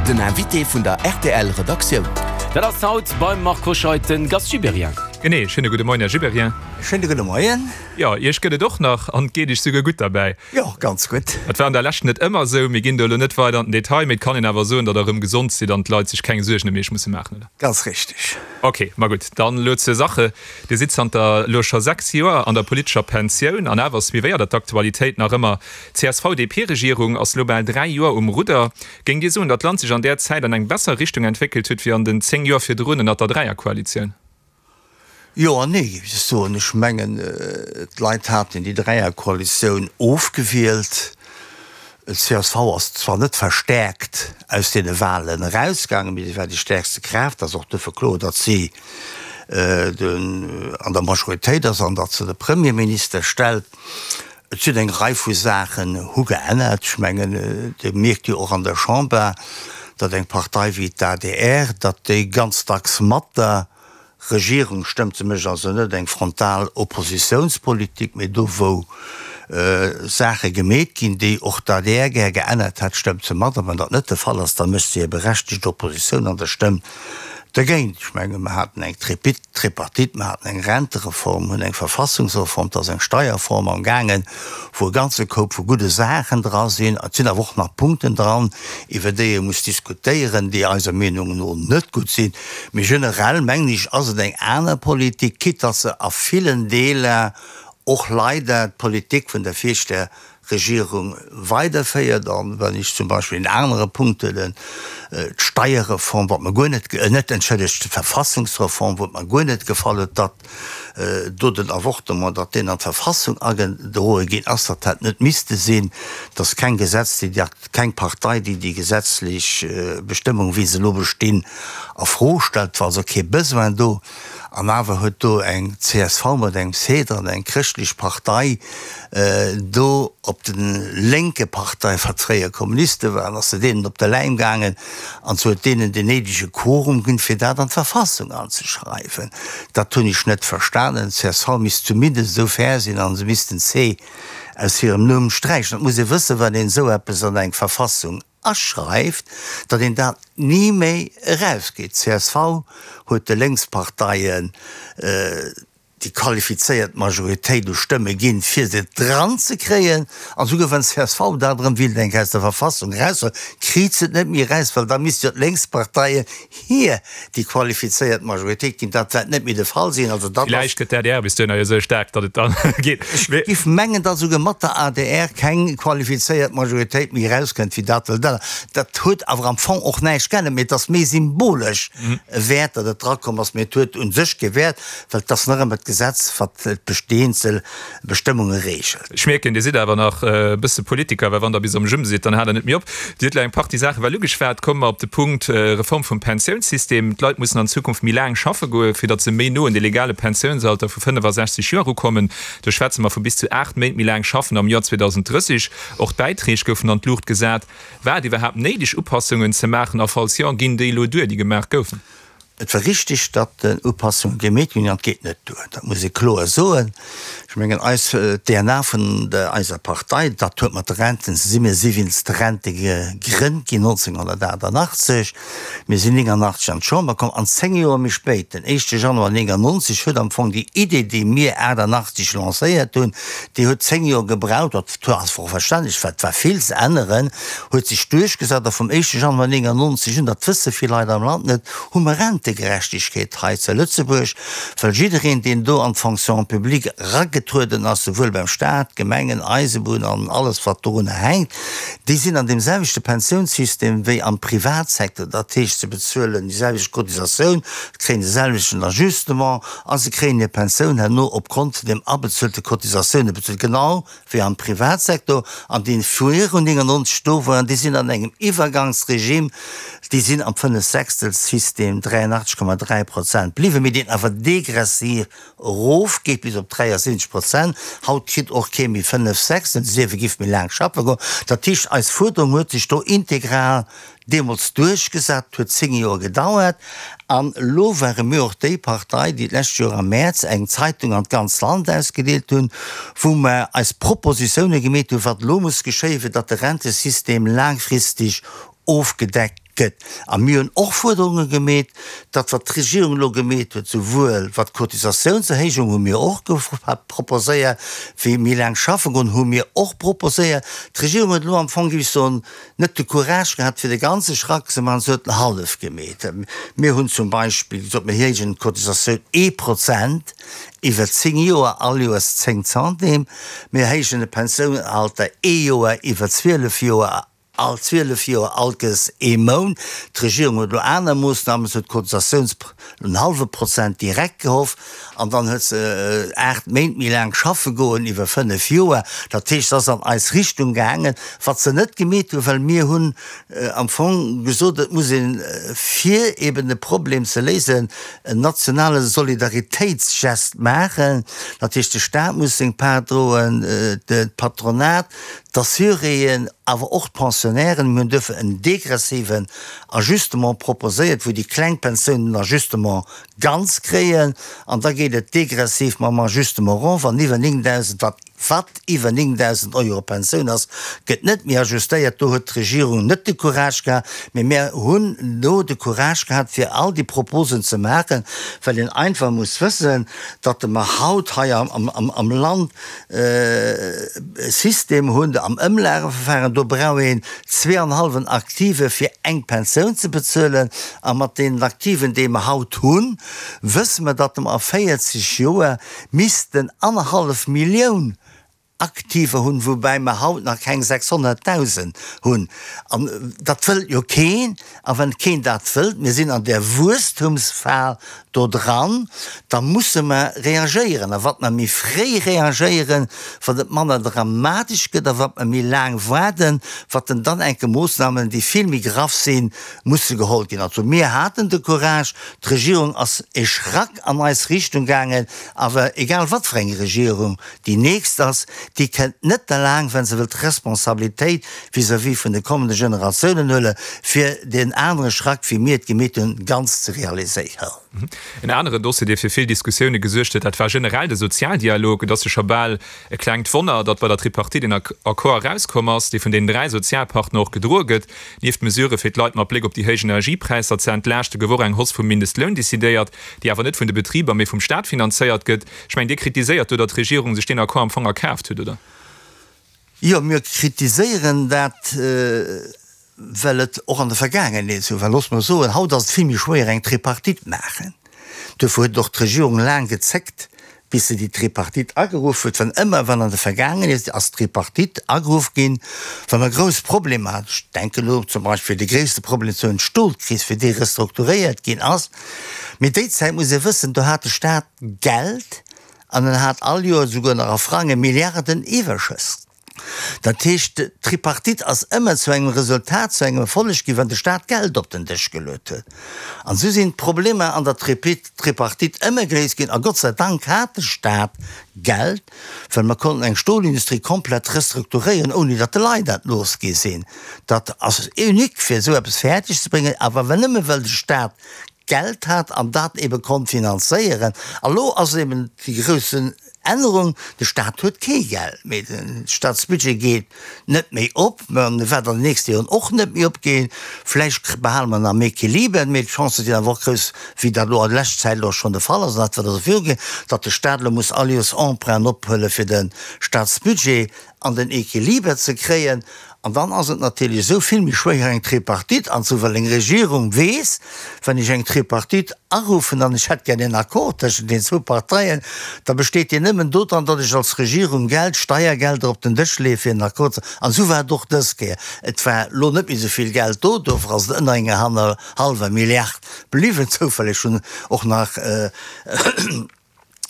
Den Invité vun der rtl Redaktioun. Dat ass haut beim Marc Hoscheid de Gast Gibéryen. Genee, schéine gudde Moien, Här Gibéryen. Schéine gudde Moien. Jo, Iech gëtt et och nach an et geet Iech souguer gutt derbäi. Jo, ganz gutt. Dat war an der Lescht net ëmmer esou. Mir ginn do elo net weider an den Detail, mee et kann een awer soen, datt Der erëm gesond sidd an d'Leit sech keng Suergen ëm Iech musse maachen, oder? Ganz richteg. Ok, ma gutt, dann elo zur Sache. Dir sidd zanter elo scho 6 Joer an der politescher Pensioun an awer suivéiert Der d'Aktualitéit nach ëmmer. D'CSV-DP-Regierung ass elo bal 3 Joer um Rudder. Géingt Dir soen, datt d'Land sech an där Zäit an eng besser Richtung entwéckelt huet wéi an den 10 Joer virdrun ënnert der Dräierkoalitioun? Jo an nee, géif ech soen. Ech mengen, d'Leit haten déi Dräierkoalitioun ofgewielt. D'CSV ass zwar net verstäerkt aus deene Wahlen erausgaangen, mee si war déi stäerkste Kraaft. Ass och duerfir kloer, datt si an der Majoritéit ass an datt se de Premierminister stellt. Et sinn eng Rei vu Saachen hu geännert. Ech mengen, Dir mierkt jo och an der Chamber, datt eng Partei wéi d'ADR, datt déi ganz dacks mat der Regierung stëmmt. Se mécht also net eng frontal Oppositiounspolitik, mee do wou Saache gemeet ginn, déi och d'ADR gär geännert hätt, stëmmt se mat. A wann dat net de Fall ass, da mécht se hir berechtegt Oppositioun an da stëmmt dergéint. Ech menge mer haten eng Tripartite, mer haten eng Rentereform, hunn eng Verfassungsreform, et ass eng Steierreform am gaangen, wou e ganze Koup vu gudde Saachen dra sinn. Et sinn awer och nach Punkten dran, iwwer déi ee muss diskutéieren, déi eiser Meenung no net gutt sinn. Mee generell, mengen ech, ass et eng aner Politik, quitte datt se a villen Deeler och leider d'Politik vun der viregter Regierung weiderféiert. An wann ech zum Beispill en anere Punkt huelen, d'Steierreform, wat mer guer net, net, entschëllegt, d'Verfassungsreform, wou et mer guer net gefall huet, datt do den Avortement, datt deen an d'Verfassung agedroe ginn ass, datt hätt net misste sinn, datt keng Gesetz, déi keng Partei, déi déi gesetzlech Bestëmmung, wéi se elo bestinn, a Fro stellt. Et war also kee Besoin do. An awer huet do eng csv mat engem C dran, eng chrëschtlech Partei, do op de lénke Partei, wat fréier Kommuniste waren, ass se deenen op de Läim gaangen an se huet deenen den néidege Quorum ginn, fir dat an d'Verfassung anzeschreiwen. Dat hunn ech net verstanen. D'CSV misst zumindest esou fair sinn an se misst den C aus hirem Numm sträichen. Et muss ee wëssen, wann een esou eppes an eng Verfassung aschreift, datt een dat ni méi erausgeet. Csv huet de Lénksparteien déi qualifizéiert Majoritéit u Stëmme ginn, fir se dran ze kréien. An esouguer wann csv dat erëm wéilt eng Kéier aus der Verfassung eraushuelen, kritt se et net méi eraus, well da misst jo d'Lénksparteien hir déi qualifizéiert Majoritéit ginn. Dat wäert net méi de Fall sinn. Also dat ass. Villäicht gëtt d'ADR bis duerno jo esou staark, datt et da geet. Ech géif mengen, datt esouguer mat der adr keng qualifizéiert Majoritéit méi erauskënnt wéi dat. Well dat, dat huet awer am Fong och näischt geännert, mee et ass méi symbolesch e Wäert, datt et drakomm ass. Mee et huet u sech kee Wäert, well et ass nach ëmmer d'Gesetz, wat d'besteenzel Bestëmmunge reegelt. Ech mierken, Dir sidd awer nach e bësse Politiker, well wann Der bis am Jumm sidd, dann haalt Der net méi op. Dir hutt elo eng Partie Saache well ugeschwat. Komme mer op de Punkt Reform vum Pensiounssystem. D'Leit mussen an Zukunft méi laang schaffe goen, fir datt se méi no un de legale Pensiounsalter vu 65 Joer erukommen. Do schwätze mer vu bis zu 8 Méint méi laang schaffen am Joer 2030. Och d'Bäitreeg goufen an d'Luucht gesat. War et iwwerhaapt néideg, Upassungen ze maachen a falls jo, ginn déi elo duer, déi gemaach goufen? Et war richtig, datt Upassunge gemeet ginn, an et geet net duer. Dat muss ee kloer soen. Ech mengen, eis, d'DNA vun eiser Partei, dat huet mat de Renten ze sinn. Mir si wéinst de Rente gegrënnt ginn 1988. Mir sinn 89 an d'Chamber komm an 10 Joer méi spéit, den éischte Januar 99, huet am Fong déi Idee, déi mir 88 lancéiert hunn, déi huet 10 Joer gebraucht, dat ass och verständlech, well et war vill ze änneren, huet sech duerchgesat a vum éischte Januar 99 un, dat wësse vill Leit am Land net, hu mer Rentegerechtegkeet hei zu Lëtzebuerg, well jiddereen, deen do an d'Fonction publique eragetrueden ass, souwuel beim Staat, Gemengen, Eisebunn an alles wat dorunner hänkt, déi sinn an deem selwechte Pensiounssystem wéi am Privatsecteur. Dat heescht, se bezuelen déi selwecht Cotisatioun, kréien de selwechten Ajustement a se kréien hir Pensioun herno opgrond vun deem abezuelte Cotisatioune bezuelt, genau wéi am Privatsektor, an déi virun 99 do waren, déi sinn an engem Iwwergangsregime, déi sinn am Fënnefsechstel-System, 83,3 Prozent, bliwwen, mee deen awer degressiv erofgeet bis op 73 Prozent. Haut kritt och kee méi Fënnefsechstel, sief e giff méi laang schaffe goen. Dat heescht, eis Fuerderung huet sech do integral Deemools duerchgesat, huet 10 Joer gedauert. An elo ware mir och déi Partei, déi d'lescht Joer am Mäerz eng Zeitung an d'ganz Land ausgedeelt hunn, wou mer eis Propositioune gemeet hunn, wat elo muss geschéien, fir datt de Rentesystem laangfristeg ofgedeckt gëtt. Gëtt. A mir hunn och Fuerderunge gemeet. Dat, wat d'Regierung elo gemeet huet, souwuel wat d'Cotisatiounserhéijung hu mir och proposéiert, wéi méi laang schaffe goen, hu mir och proposéiert. D'Regierung huet elo am Fong, géif ech soen, net de Courage gehat, fir de ganze Schrack ze maachen. Se huet en hallef gemeet. Mir hunn zum Beispill gesot, mir héijen d'Cotisatioun ee Prozent iwwer 10 Joer, all Joers 10 Centimes. Mir héijen de Pensiounalter ee Joer iwwer 12 Joer. All 12 Joer allkes ee Mount. D'Regierung huet elo aner Moossnamen, se huet d'Cotisatiouns en hallwe Prozent direkt gehoff an dann huet se 8 Méint méi laang schaffe goen iwwer 5 Joer. Dat heescht, se ass an eis Richtung gaangen, wat se net gemeet hunn, well mir hunn am Fong gesot, et muss een, fir eben de Problem ze léisen, en nationale Solidaritéitsgest maachen. Dat heescht, de Staat muss seng Part droen, d'Patronat, D'Assuréen, awer och d'Pensionnairen. Mir hunn duerfir en degressiven Ajustement proposéiert, wou déi kleng Pensiounen den Ajustement ganz kréien, an da geet et degressiv mam Ajustement erof, an iwwer 9.000, wat wat iwwer 9.000 Euro Pensioun ass, gëtt net méi ajustéiert. Do huet d'Regierung net de Courage gehat, mee mir hunn do de Courage gehat, fir all déi Proposen ze maachen, well een einfach muss wëssen, datt mer haut hei am Land e System hunn am Ëmlageverfahren, do brauch een zweeanhalwen Aktive fir eng Pensioun ze bezuelen. A mat deenen Aktiven, déi mer haut hunn, wësse mer, datt mer a 40 Joer missten annerhallef Millioun Aktiver hunn, woubäi mer haut nach keng 600.000 hunn. An dat wëllt jo keen. A wann keen dat wëllt, mir sinn an där Wuesstumsfal do dran, da musse mer reagéieren. A wat mer méi fréi reagéieren, wat et manner dramatesch gëtt, a wat mer méi laang waarden, wat en dann enke Moossnamen, déi vill méi graff sinn, musse geholl ginn. Also mir haten de Courage, d'Regierung ass e Schrack an eis Richtung gaangen, awer egal wat fir eng Regierung, Déi nächst ass, déi kënnt net derlaang, wa se wëllt Responsabilitéit vis-à-vis vun de kommende Generatiounen huelen, fir deen anere Schrack, wéi mir et gemeet hunn, ganz ze realiséieren. En aneren Dossier, dee fir vill Diskussioune gesuergt huet, dat war generell de Sozialdialog. Et ass jo scho bal e klengt Wonner, datt bei der Tripartite een Accord erauskomm ass, dee vun deenen 3 Sozialpartner och gedroe gëtt. Nieft Mesurë fir d'Leit mat Bléck op déi héich Energiepräisser ze entlaaschte gouf och eng Hausse vum Mindestloun decidéiert, déi awer net vun de Betriber, mee vum Staat finanzéiert gëtt. Ech mengen, Dir kritiséiert do, datt d'Regierung sech deen Accord am Fong erkaaft huet, oder? Jo, mir kritiséieren dat, well et och an der Vergaangenheet esou war. Looss mer soen, haut ass et vill méi schwéier eng Tripartite maachen. Duerfir huet och d'Regierung laang gezéckt, bis se déi Tripartite ageruff huet. Wann ëmmer, wann an der Vergaangenheet ass d'Tripartite ageruff ginn, wa mer grouss Problemer haten, ech denken elo zum Beispill de gréisste Problem zu hunn, d'Stolkris, fir déi restrukturéiert ginn ass, mee déi Zäit muss ee wëssen, do hat de Staat Geld an en hat all Joer esouguer nach a Frange Milliarden Iwwerschëss. Dat heescht, d'Tripartite ass ëmmer zu engem Resultat, zu engem Erfolleg ginn, wann de Staat Geld op den Dësch geluet huet. An esou sinn d'Problemer an der Tripartite ëmmer gréisst ginn. A Gott sei Dank hat de Staat Geld, well mer konnten eng Stolindustrie komplett restrukturéieren, ouni datt de Leit dat looss gi sinn. Dat ass unique, fir esou eppes fäerdeg ze bréngen, awer nëmme well de Staat Geld hat an dat ebe konnt finanzéieren. A lo ass eben déi groussen Ännerung, de Staat huet kee Geld méi, de Staatsbudget geet net méi op, an e wäert an den nächste Joren och net méi opgeen. Vläicht behale mer en am Equiliber, mee d'Chancë sinn awer och grouss, wéi dat elo an leschter Zäit elo schonn de Fall ass an dat wäert och virugoen, datt de Staat elo muss all Joers Emprunten ophuele fir de Staatsbudget an den Equiliber ze kréien. An dann ass et natierlech esou vill méi schwéier eng Tripartite anzeruffen, well eng Regierung weess, wann ech eng Tripartite aruffen an ech hätt gär en Accord tëschent den zwou Parteien, da besteet deen nëmmen dodran, datt ech als Regierung Geld, Steiergelder op den Dësch leeë fir en Accord ze. An esou war et och dës Kéier. Et war elo net méi esou vill Geld do, dofir ass et ënner enger hannerhallwer Milliard bliwwen. Zoufälleg hunn och nach.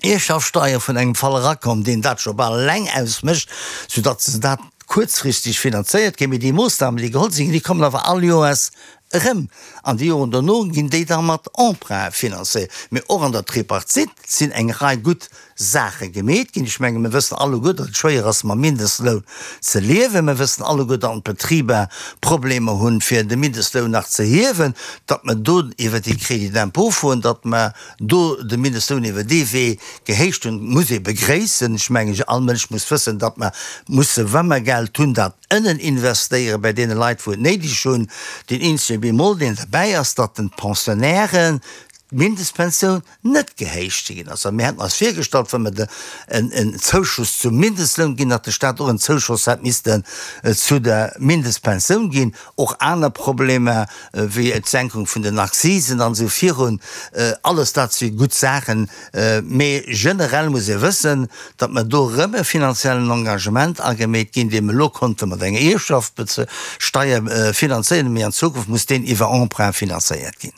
Ierfschaftssteier vun engem Fall erakomm, deen dat scho bal eleng ausmécht, soudatt se dat kuerzfristeg finanzéiert kréien. Mee déi Moossnamen, déi geholl sinn, déi kommen awer all Joers erëm. An déi Joren dono ginn déi da mat Emprunt finanzéiert. Mee och an der Tripartite sinn eng Rei gutt. Saache gemeet ginn. Ech menge mir wëssen alleguer, datt et schwéier ass mam Mindestloun ze liewen. Mir wëssen alleguer, datt d'Betriber Problemer hunn, fir de Mindestloun nach ze hiewen, datt mer do iwwer dee Crédit d'impôt fueren, datt mer do de Mindestloun iwwer dee Wee gehéicht hunn, muss ee begréissen. Ech mengen, all Mënsch muss wëssen, datt mer musse, wa mer Geld hunn, dat ënnen investéiere bei deene Leit, wou et néideg hunn. Deen eenzege Bémol, deen derbäi ass, datt den d'Pensionnairen d'Mindestpensioun net gehéicht ginn ass. A mir hätten eis virgestallt, wa mer de en Zouschuss zum Mindestloun ginn, datt de Stat och en Zouschoss hätt missten zu der Mindestpensioun ginn. Och aner Problemer wéi d'Senkung vun den Akzisen an esou virun, alles dat si gutt Saachen. Mee generell muss ee wëssen, datt mer do erëm e finanziellen Engagement agemeet ginn, dee mer elo konnte mat enger Ierfschaftssteuer finanzéieren, mee an Zukunft muss deen iwwer Emprunt finanzéiert ginn.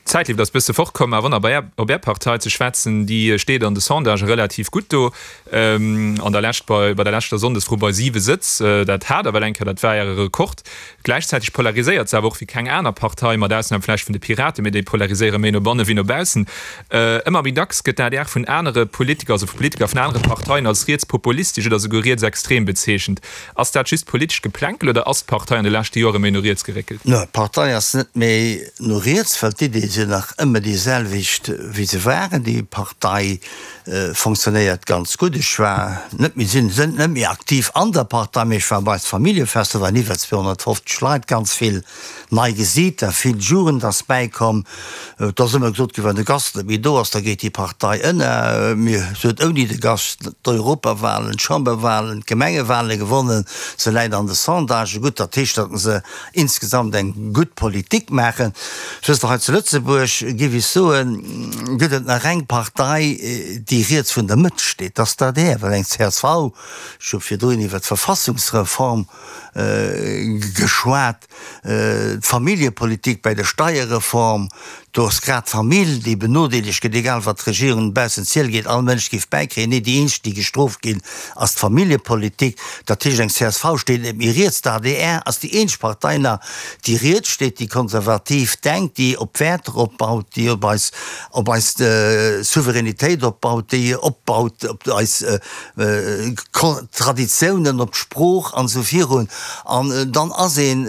D'Zäitlift ass bësse fort komm, awer op Är, op Är Partei ze schwätzen, déi steet an de Sondagë relativ gutt do. An der Lescht bei, bei der leschter Sonndesfro bei siwe Sëtz. Dat hat Der well eng Kéier, dat war Äre Rekord. Gläichzäiteg polariséiert se awer och wéi keng aner Partei, mat Ausnam vläicht vun de Piraten, mee déi polariséiere méi no banne wéi no baussen. Ëmmer méi dacks gëtt d'ADR vun anere Politiker, also vu Politiker vun anere Parteien als rietspopulistesch oder souguer rietsextrem bezeechent. Ass dat just politescht Geplänkel oder ass d'Partei an de leschte Joere méi no riets geréckelt? No, d'Partei ass net méi no riets, well d'Iddie sinn nach ëmmer déi selwecht wéi se waren. Déi Partei fonctionnéiert ganz gutt. Ech war net méi, sinn net méi aktiv an der Partei, mee ech war bei eist Familljefest, do waren iwwer 250 Leit, ganz vill Nei Gesiiter, vill Jugend ass bäikomm. Et ass ëmmer gesot ginn, wann de Gast net méi do ass, da geet déi Partei ënner. Mee se huet ouni de Gast d'Europawahlen, d'Chamberwahlen, d'Gemengewahle gewonnen. Se läit an de Sondagë gutt. Dat heescht, datt se insgesamt eng gutt Politik maachen. Wësst Der, hei zu Lëtzebuerg, géif ech soen, gëtt et nach eng Partei, déi riets vun der Mëtt steet, dat ass d'ADR. Well eng csv, ech hu virdrun iwwer d'Verfassungsreform geschwat, D'Familljepolitik bäi der Steierreform, do ass grad d'Famill, déi benodeelegt gëtt, egal wat d'Regierung baussent Ziel geet, all Mënsch géif bäikréien. Nee, déi eenzeg, déi gestrooft ginn, ass d'Familljepolitik. Dat heescht, eng csv steet net méi riets, d'ADR ass déi eenzeg Partei nach, déi riets steet, déi konservativ denkt, déi op Wäerter opbaut, déi op eis, op eis Souveränitéit opbaut, déi opbaut op eis Traditiounen, op d'Sprooch an esou virun. An dann ass een,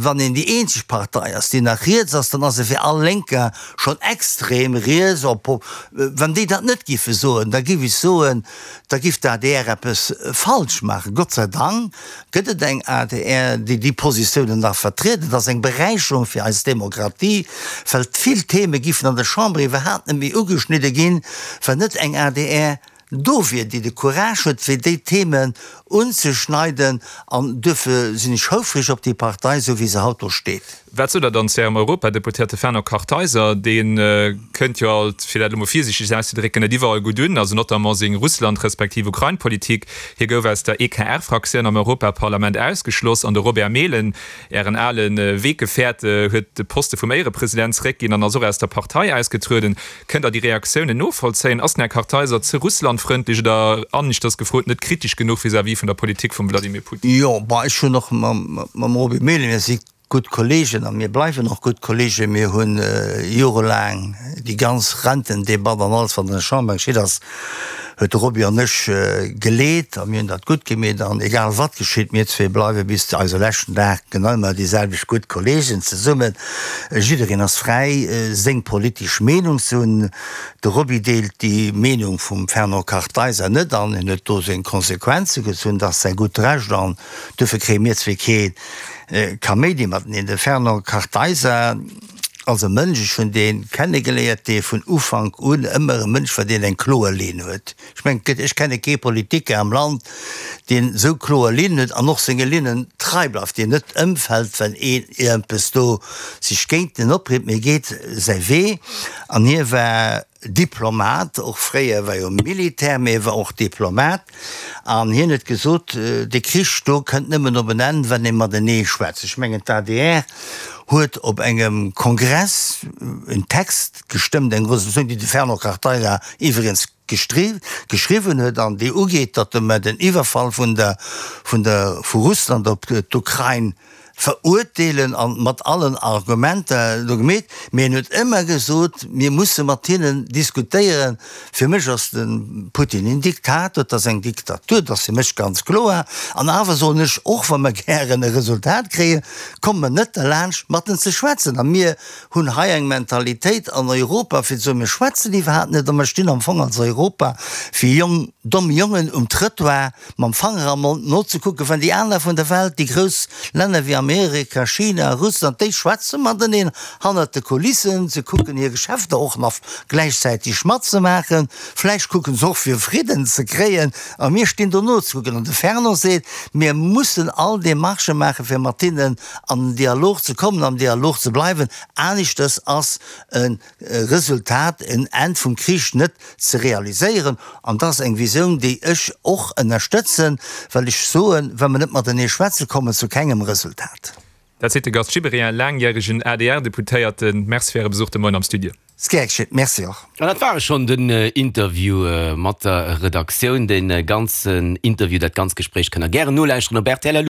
wann een déi eenzeg Partei ass, déi nach riets ass, dann ass e fir all Lénker schonn extrem riets. Wann déi dat net géife soen, da géif ech soen, da géif d'ADR eppes falsch maachen. Gott sei Dank gëtt et eng adr, déi déi Positiounen nach vertriet. Et ass eng Beräicherung fir eis Demokratie, well vill Theme géifen an der Chamber iwwerhaapt net méi ugeschnidde ginn, wann net eng adr do wier, déi de Courage huet, fir déi Themen unzeschneiden. An duerfir sinn ech houfreg op déi Partei, esou wéi se haut do steet. Wat sot Der dann zu Ärem Europadeputéierte Fernand Kartheiser? Dee kënnt jo alt, fir dat elo mol virsiichteg auszedrécken, net iwwerall gutt un, also notamment seng Russland respektiv Ukrain-Politik. Hie gouf aus der EKR-Fraktioun am Europaparlament ausgeschloss an de Robert Mehlen, Ären ale Weggefährte, huet de Poste vum Éierepresident zeréckginn an ass och aus der Partei ausgetrueden. Kënnt Der déi Reaktiounen novollzéien? Ass den Här Kartheiser ze russlandfrëndlech oder, aneschters gefrot, net kritesch genuch vis-à-vis vun der Politik vum Vladimir Putin? Jo, bon, ech hunn och mam Roby Mehlen, mir si gutt Kolleegen a mir bleiwen och gutt Kolleegen. Mir hu jorelaang déi ganz Rentendebatt an alles, wat an der Chamber geschitt ass, huet de Roby an ech geleet a mir hunn dat gutt gemeet. An egal wat geschitt, mir zwee bleiwe bis zu eise leschten Dag genau ëmmer déi selwecht gutt Kolleegen zesummen. Jiddereen ass fräi, seng politesch Meenung ze hunn. De Roby deelt déi Meenung vum Fernand Kartheiser net an en huet do seng Konsequenze gezunn. Dat ass säi gutt Recht an duerfir kréie mir zwee kee Kaméidi mateneen. De Fernand Kartheiser ass e Mënsch, ech hunn dee kennegeléiert, dee vun Ufank un ëmmer e Mënsch war, deen eng kloer Linn huet. Ech mengen, et gëtt, ech kenne kee Politiker am Land, deen esou kloer Linnen huet an och senge Linnen trei bleift, deen net ëmfält, well een iergendpes do sech géint en opriit, mee geet säi Wee. An hie war Diplomat, och fréier war jo Militär, mee e war och Diplomat, an hien huet gesot, dee Krich do kënnt nëmmen op en Enn, wann ee matenee schwätzt. Ech mengen, d'ADR huet op engem Kongress en Text gestëmmt, eng Resolutioun, déi de Fernand Kartheiser iwwregens geschriwwen huet an déi ugeet, datt mer den Iwwerfall vun der, vun der, vu Russland op d'Ukrain. Verurteelen an mat allen Argumenter do gemeet, mee en huet ëmmer gesot, mir musse mat hinnen diskutéieren. Fir mech ass de Putin een Diktator, et ass eng Diktatur, dat ass fir mech ganz kloer. An awer soen ech, och wa mer gären e Resultat kréien, komme mer net derlaanscht mat en ze schwätzen. A mir hunn hei eng Mentalitéit an Europa fir ze soen, mir schwätzen iwwerhaapt net a mer stinn am Fong als Europa wéi jong, domm Jongen um Trëttoir, mam Fanger am Mond nozekucken, wann déi aner vun der Welt, déi grouss Länner wéi Amerika, China, Russland, déi schwätze mateneen hannert de Kulissen, se kucken hir Geschäfter och nach gläichzäiteg matzemaachen, vläicht kucken se och fir Fridden ze kréien, a mir stinn do nozekucken. An de Fernand seet, mir mussen all Demarchë maachen, fir mat hinnen an den Dialog ze kommen, am Dialog ze bleiwen, aneschters ass e Resultat, en Enn vum Krich net ze realiséieren. An dat ass eng Visioun, déi ech och ënnerstëtzen, well ech soen, wa mer net matenee schwätzen, komme mer zu kengem Resultat. Dat seet de Gast Gibéryen, laangjäregen ADR-Deputéierten. Merci fir Äre Besuch de Moien am Studio. S, Gär geschitt. Merci och. An dat war e schonn, den Interview mat der Redaktioun. De ganzen Interview, dat ganz Gespréich kënnt der gären nolauschteren op rtl.